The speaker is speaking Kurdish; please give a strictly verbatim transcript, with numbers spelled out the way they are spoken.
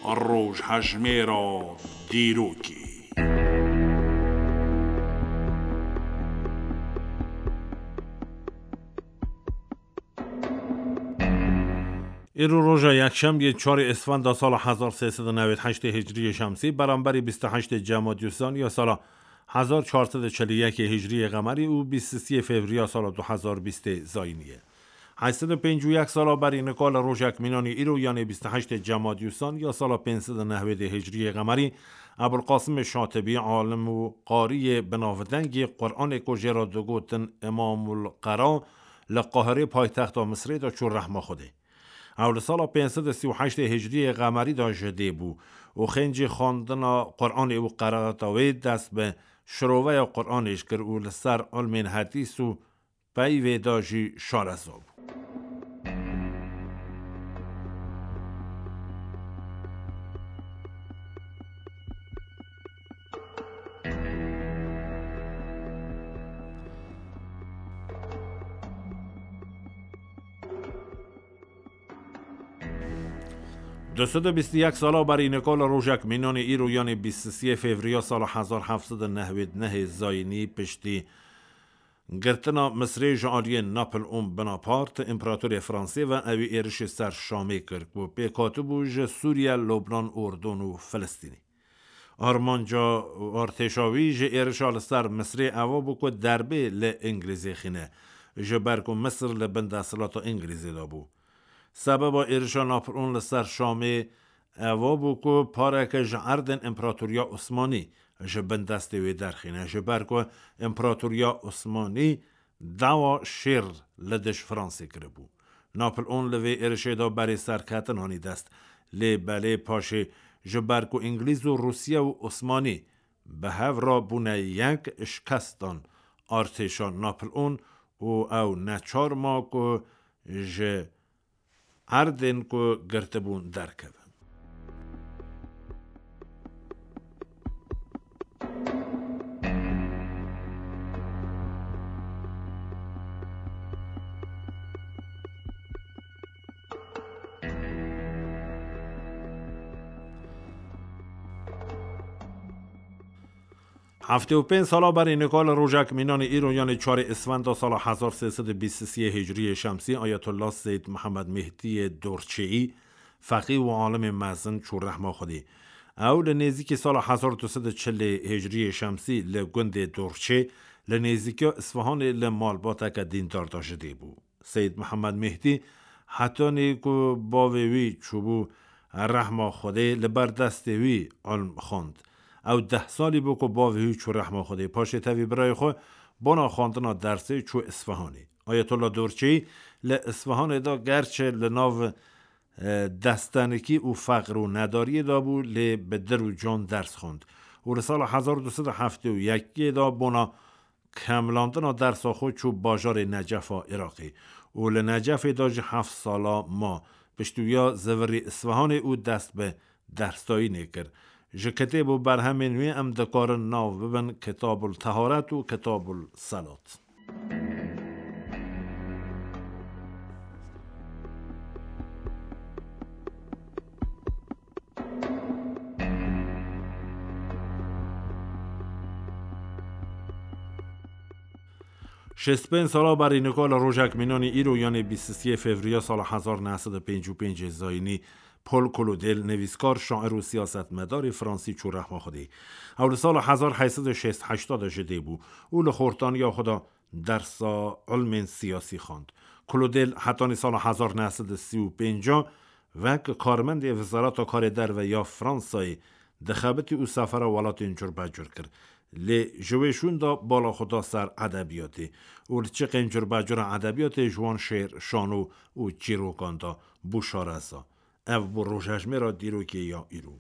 Rojhejmêra dîrokê. Îro roja yekşemiyê çarê Îsfenda sala hezar sê sed û newêd heştê Hicriyê Şemsî, beramberî bîst û heştê Cemadyûsan ya sala hezar çar sed û çel û yekê Hicriyê Qemerî û bîst û sê Fevriya sala du hezar bîstê Zayînî ye. Heşt sed û pêncî û yek sala berî nika li rojek mînanî îro, yanê bîst û heştê Cemadyûsan ya sala pênc sed û newêdê Hicriyê Qemerî, Ebulqasimê Şatibî, alim û qariyê binavdengê Quranê ku jê re digotin Îmamul Qera, li Qahirê paytexta Misrê de çû rehma Xwedê. Ew li sala pênc sed û sî û heştê Hicriyê Qemerî de ji dê bû û xêncî xwendina Quranê û qeraeta wê dest bi şiroveya Quranê jî kir û li ser ilmên hedîs û peyvê de jî şareza bû. Du sed û bîst û yek sala berî nika li rojek mînanê îro, yanê bîst û sê Fevriya sala hezar heft sed û newêd nehê Zayînî, piştî girtina Misrê ji aliyê Napoleon Bonaparte, împeratorê Fransê ve, ewî êrişê ser Şamê kir, ku pêk hatibû ji Sûriye, Lubnan, Urdun û Filistînê. Armanca û artêşa wî ji êrişa li ser Misrê eva bû ku derbê li Îngilîzê xîne, ji ber ku Misir li bin desthilata Îngilîzê de bû. Sebeba êrişa Napoleon li ser Şamê eva bû ku pareke ji erdên Împeratoriya Osmanî ji bin destê wê derxîne, ji ber ku Împeratoriya Osmanî dawa şêr li dij Fransê kiribû. Napoleon li vê êrişê de berê serketin anî dest, lê belê paşê ji ber ku Îngilîz û Rûsya û Osmanî bi hev re bûne yek, şikest dan artêşa Napoleon û ew neçar ma ku ji erdên ku girtibûn derkeve. Heftê û pênc sala berî nika li rojek mînanê îro, yanê çarê Îsfenda sala hezar sê sed û bîst û sê Hicriyê Şemsî, Ayetullah Seyyid Mihemed Mehdiyê Dorçeyî, feqî û alimê mezin çû rehma Xwedê. Ew li nêzîkî sala hezar du sed û çilê Hicriyê Şemsî li gundê Dorçê, li nêzîkiya Îsfahanê, li malbateke dîndar de ji dê bû. Seyyid Mihemed Mehdî, hetanî ku bavê wî çûbû rehma Xwedê, li ber destê wî ilm xwend. Ew deh salî bû ku bavê wî çû rehma Xwedê. Paşê tevî birayê xwe bona xwendina dersê çû Îsfahanê. Ayetullah Dorçeyî li Îsfahanê de gerçi li nav, e, destenikî û feqir û nedariyê de bû, lê bi dil û can ders xwend û li sala hezar du sed û heftê û yekê de bona kemlandina dersa xwe çû bajarê Necefa Iraqê û li Necefê de jî heft sala ma. Piştî wiya zivirî Îsfahanê û dest bi dersdayînê kir. Ji kitêb û berhemên wî em dikarin nav bibin Kitabul Teharet û Kitabul Selat. Şêst pênc sala berî nika li rojek mînanî îro, yanê bîst û sê Fevriya sala hezar neh sed û pêncî û pêncê Zayînî, Paul Claudel, nivîskar, şair û siyasetmedarê fransî çû rehma Xwedê. Ew li sala hezar heyt sed û şêst heşta de ji dê bû û li xortaniya xwe de dersa ilmên siyasî xwend. Claudel hetanî sala hezar neh sed û sî û pênc wek karmendê Wezareta Karê Derve ya Fransayê dixebitî û sefera welatên curbecur kir. Lê ji wê şûn de bala xwe da ser edebiyatê û li çiqên curbecura edebiyatê ji wan şêr, şano û çîrokan de bû şareza. Ev bû rojhejmêra dîrokê ya îro.